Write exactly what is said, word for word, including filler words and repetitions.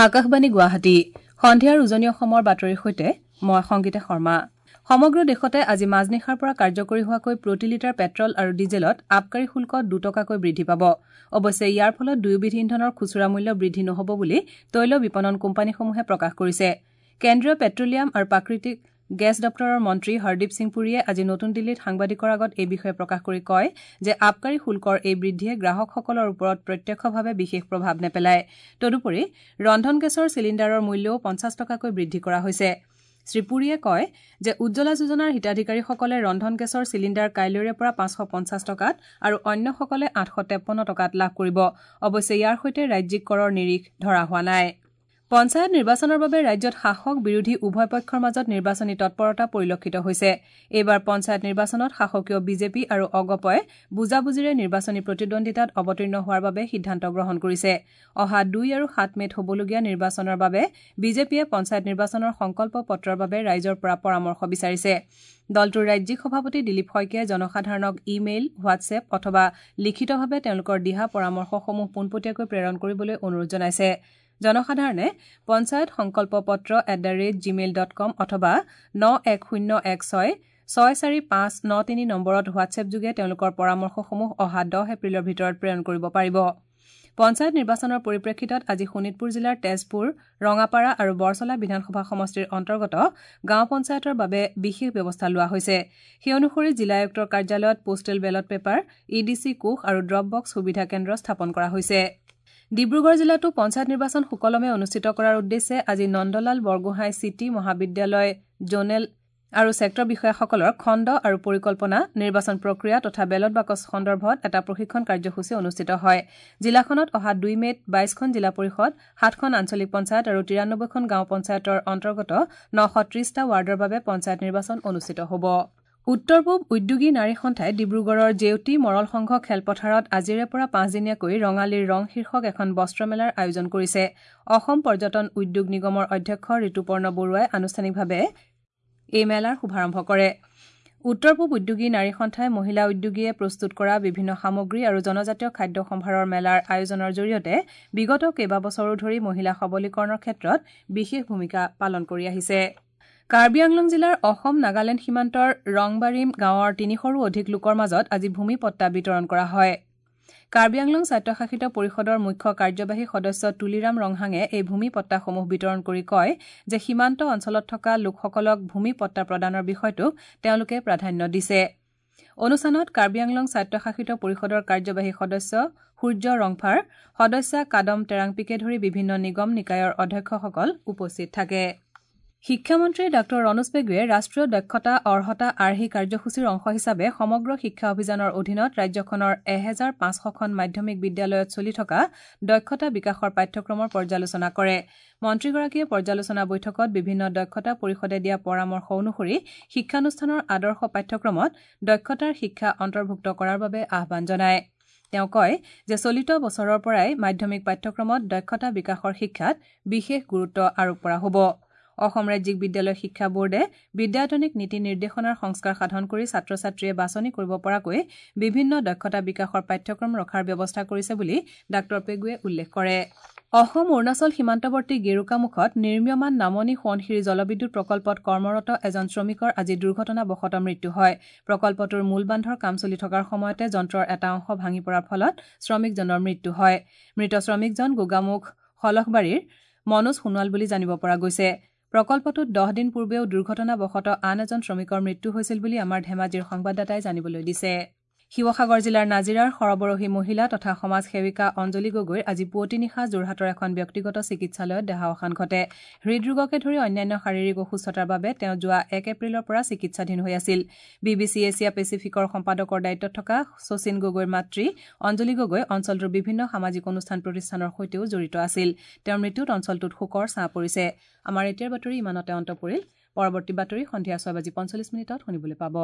আকাশবাণী গুৱাহাটী সন্ধিয়াৰ উজনি অসমৰ বাতৰিৰ সৈতে মই সংগীতা শৰ্মা। সমগ্ৰ দেশতে আজি মাজনিশাৰ পৰা কাৰ্যকৰী হোৱাকৈ প্ৰতি লিটাৰ পেট্ৰল আৰু ডিজেলত আবকাৰী শুল্ক দুটকাকৈ বৃদ্ধি পাব। অৱশ্যে ইয়াৰ ফলত দুয়োবিধ ইন্ধনৰ খুচুৰা মূল্য বৃদ্ধি নহ'ব বুলি তৈল বিপণন কোম্পানীসমূহে প্ৰকাশ কৰিছে। কেন্দ্ৰীয় পেট্ৰলিয়াম আৰু প্ৰাকৃতিক গেছ দপ্তৰৰ মন্ত্ৰী হৰদীপ সিং পুৰীয়ে আজি নতুন দিল্লীত সাংবাদিকৰ আগত এই বিষয়ে প্ৰকাশ কৰি কয় যে আবকাৰী শুল্কৰ এই বৃদ্ধিয়ে গ্ৰাহকসকলৰ ওপৰত প্ৰত্যক্ষভাৱে বিশেষ প্ৰভাৱ নেপেলায়। তদুপৰি ৰন্ধন গেছৰ চিলিণ্ডাৰৰ মূল্যও পঞ্চাছ টকাকৈ বৃদ্ধি কৰা হৈছে। শ্ৰীপুৰীয়ে কয় যে উজ্জ্বলা যোজনাৰ হিতাধিকাৰীসকলে ৰন্ধন গেছৰ চিলিণ্ডাৰ কাইলৈৰে পৰা পাঁচশ পঞ্চাছ টকাত আৰু অন্যসকলে আঠশ তেপন্ন টকাত লাভ কৰিব। অৱশ্যে ইয়াৰ সৈতে ৰাজ্যিক কৰৰ নিৰিখ ধৰা হোৱা নাই। পঞ্চায়ত নিৰ্বাচনৰ বাবে ৰাজ্যত শাসক বিৰোধী উভয় পক্ষৰ মাজত নিৰ্বাচনী তৎপৰতা পৰিলক্ষিত হৈছে। এইবাৰ পঞ্চায়ত নিৰ্বাচনত শাসকীয় বিজেপি আৰু অগপই বুজাবুজিৰে নিৰ্বাচনী প্ৰতিদ্বন্দ্বিতাত অৱতীৰ্ণ হোৱাৰ বাবে সিদ্ধান্ত গ্ৰহণ কৰিছে। অহা দুই আৰু সাত মে'ত হ'বলগীয়া নিৰ্বাচনৰ বাবে বিজেপিয়ে পঞ্চায়ত নিৰ্বাচনৰ সংকল্প পত্ৰৰ বাবে ৰাইজৰ পৰা পৰামৰ্শ বিচাৰিছে। দলটোৰ ৰাজ্যিক সভাপতি দিলীপ শইকীয়াই জনসাধাৰণক ই-মেইল, হোৱাটছএপ অথবা লিখিতভাৱে তেওঁলোকৰ দিহা পৰামৰ্শসমূহ পোনপটীয়াকৈ প্ৰেৰণ কৰিবলৈ অনুৰোধ জনাইছে। জনসাধাৰণে পঞ্চায়ত সংকল্প পত্ৰ at the rate Gmail dot com অথবা ন এক শূন্য এক ছয় ছয় চাৰি পাঁচ ন তিনি নম্বৰত হোৱাটছএপযোগে তেওঁলোকৰ পৰামৰ্শসমূহ অহা দহ এপ্ৰিলৰ ভিতৰত প্ৰেৰণ কৰিব পাৰিব। পঞ্চায়ত নিৰ্বাচনৰ পৰিপ্ৰেক্ষিতত আজি শোণিতপুৰ জিলাৰ তেজপুৰ, ৰঙাপাৰা আৰু বৰচলা বিধানসভা সমষ্টিৰ অন্তৰ্গত গাঁও পঞ্চায়তৰ বাবে বিশেষ ব্যৱস্থা লোৱা হৈছে। সেই অনুসৰি জিলা আয়ুক্তৰ কাৰ্যালয়ত postal ballot paper, E D C কোষ আৰু ড্ৰপ বক্স সুবিধা কেন্দ্ৰ স্থাপন কৰা হৈছে। ডিব্ৰুগড় জিলাতো পঞ্চায়ত নিৰ্বাচন সুকলমে অনুষ্ঠিত কৰাৰ উদ্দেশ্যে আজি নন্দলাল বৰগোহাঁই চিটি মহাবিদ্যালয় জোনেল আৰু ছেক্টৰ বিষয়াসকলৰ খণ্ড আৰু পৰিকল্পনা, নিৰ্বাচন প্ৰক্ৰিয়া তথা বেলট বাকচ সন্দৰ্ভত এটা প্ৰশিক্ষণ কাৰ্যসূচী অনুষ্ঠিত হয়। জিলাখনত অহা দুই মে'ত বাইশখন জিলা পৰিষদ, সাতখন আঞ্চলিক পঞ্চায়ত আৰু তিৰানব্বৈখন গাঁও পঞ্চায়তৰ অন্তৰ্গত নশ ত্ৰিশটা ৱাৰ্ডৰ বাবে পঞ্চায়ত নিৰ্বাচন অনুষ্ঠিত হ'ব। উত্তৰ পূব উদ্যোগী নাৰী সন্থাই ডিব্ৰুগড়ৰ জেউতি মৰল সংঘ খেলপথাৰত আজিৰে পৰা পাঁচদিনীয়াকৈ ৰঙালীৰ ৰং শীৰ্ষক এখন বস্ত্ৰমেলাৰ আয়োজন কৰিছে। অসম পৰ্যটন উদ্যোগ নিগমৰ অধ্যক্ষ ঋতুপৰ্ণ বৰুৱাই আনুষ্ঠানিকভাৱে এই মেলাৰ শুভাৰম্ভ কৰে। উত্তৰ পূব উদ্যোগী নাৰী সন্থাই মহিলা উদ্যোগীয়ে প্ৰস্তুত কৰা বিভিন্ন সামগ্ৰী আৰু জনজাতীয় খাদ্য সম্ভাৰৰ মেলাৰ আয়োজনৰ জৰিয়তে বিগত কেইবাবছৰো ধৰি মহিলা সবলীকৰণৰ ক্ষেত্ৰত বিশেষ ভূমিকা পালন কৰি আহিছে। কাৰ্বি আংলং জিলাৰ অসম নাগালেণ্ড সীমান্তৰ ৰংবাৰিম গাঁৱৰ তিনিশৰো অধিক লোকৰ মাজত আজি ভূমি পট্টা বিতৰণ কৰা হয়। কাৰ্বি আংলং স্বায়ত্তশাসিত পৰিষদৰ মুখ্য কাৰ্যবাহী সদস্য তুলিৰাম ৰংহাঙে এই ভূমি পট্টাসমূহ বিতৰণ কৰি কয় যে সীমান্ত অঞ্চলত থকা লোকসকলক ভূমি পট্টা প্ৰদানৰ বিষয়টোক তেওঁলোকে প্ৰাধান্য দিছে। অনুষ্ঠানত কাৰ্বি আংলং স্বায়ত্তশাসিত পৰিষদৰ কাৰ্যবাহী সদস্য সূৰ্য ৰংফাৰ, সদস্যা কাদম টেৰাংপিকে ধৰি বিভিন্ন নিগম নিকায়ৰ অধ্যক্ষসকল উপস্থিত থাকে। শিক্ষামন্ত্ৰী ডাঃ ৰণোজ পেগুৱে ৰাষ্ট্ৰীয় দক্ষতা অৰ্হতা আৰ্হি কাৰ্যসূচীৰ অংশ হিচাপে সমগ্ৰ শিক্ষা অভিযানৰ অধীনত ৰাজ্যখনৰ এহেজাৰ পাঁচশখন মাধ্যমিক বিদ্যালয়ত চলি থকা দক্ষতা বিকাশৰ পাঠ্যক্ৰমৰ পৰ্যালোচনা কৰে। মন্ত্ৰীগৰাকীয়ে পৰ্যালোচনা বৈঠকত বিভিন্ন দক্ষতা পৰিষদে দিয়া পৰামৰ্শ অনুসৰি শিক্ষানুষ্ঠানৰ আদৰ্শ পাঠ্যক্ৰমত দক্ষতাৰ শিক্ষা অন্তৰ্ভুক্ত কৰাৰ বাবে আহ্বান জনায়। তেওঁ কয় যে চলিত বছৰৰ পৰাই মাধ্যমিক পাঠ্যক্ৰমত দক্ষতা বিকাশৰ শিক্ষাত বিশেষ গুৰুত্ব আৰোপ কৰা হ'ব। অসম ৰাজ্যিক বিদ্যালয় শিক্ষা বোৰ্ডে বিদ্যায়তনিক নীতি নিৰ্দেশনাৰ সংস্কাৰ সাধন কৰি ছাত্ৰ ছাত্ৰীয়ে বাছনি কৰিব পৰাকৈ বিভিন্ন দক্ষতা বিকাশৰ পাঠ্যক্ৰম ৰখাৰ ব্যৱস্থা কৰিছে বুলি ডাঃ পেগুৱে উল্লেখ কৰে। অসম অৰুণাচল সীমান্তৱৰ্তী গেৰুকামুখত নিৰ্মীয়মান নামনি সোৱণশিৰি জলবিদ্যুৎ প্ৰকল্পত কৰ্মৰত এজন শ্ৰমিকৰ আজি দুৰ্ঘটনাবশতঃ মৃত্যু হয়। প্ৰকল্পটোৰ মূল বান্ধৰ কাম চলি থকাৰ সময়তে যন্ত্ৰৰ এটা অংশ ভাঙি পৰাৰ ফলত শ্ৰমিকজনৰ মৃত্যু হয়। মৃত শ্ৰমিকজন গোগামুখ সলখবাৰীৰ মনোজ সোণোৱাল বুলি জানিব পৰা গৈছে। প্ৰকল্পটোত দহ দিন পূৰ্বেও দুৰ্ঘটনাবশতঃ আন এজন শ্ৰমিকৰ মৃত্যু হৈছিল বুলি আমাৰ ধেমাজিৰ সংবাদদাতাই জানিবলৈ দিছে। শিৱসাগৰ জিলাৰ নাজিৰাৰ সৰবৰহী মহিলা তথা সমাজ সেৱিকা অঞ্জলি গগৈৰ আজি পুৱতি নিশা যোৰহাটৰ এখন ব্যক্তিগত চিকিৎসালয়ত দেহাৱসান ঘটে। হৃদৰোগকে ধৰি অন্যান্য শাৰীৰিক অসুস্থতাৰ বাবে তেওঁ যোৱা এক এপ্ৰিলৰ পৰা চিকিৎসাধীন হৈ আছিল। বি বি চি এছিয়া পেচিফিকৰ সম্পাদকৰ দায়িত্বত থকা শচীন গগৈৰ মাতৃ অঞ্জলি গগৈ অঞ্চলটোৰ বিভিন্ন সামাজিক অনুষ্ঠান প্ৰতিষ্ঠানৰ সৈতেও জড়িত আছিল। তেওঁৰ মৃত্যুত অঞ্চলটোত শোকৰ ছাঁ পৰিছে। আমাৰ এতিয়াৰ বাতৰি ইমানতে অন্ত পৰিল। পৰৱৰ্তী বাতৰি সন্ধিয়া ছয় বাজি পঞ্চল্লিছ মিনিটত শুনিবলৈ পাব।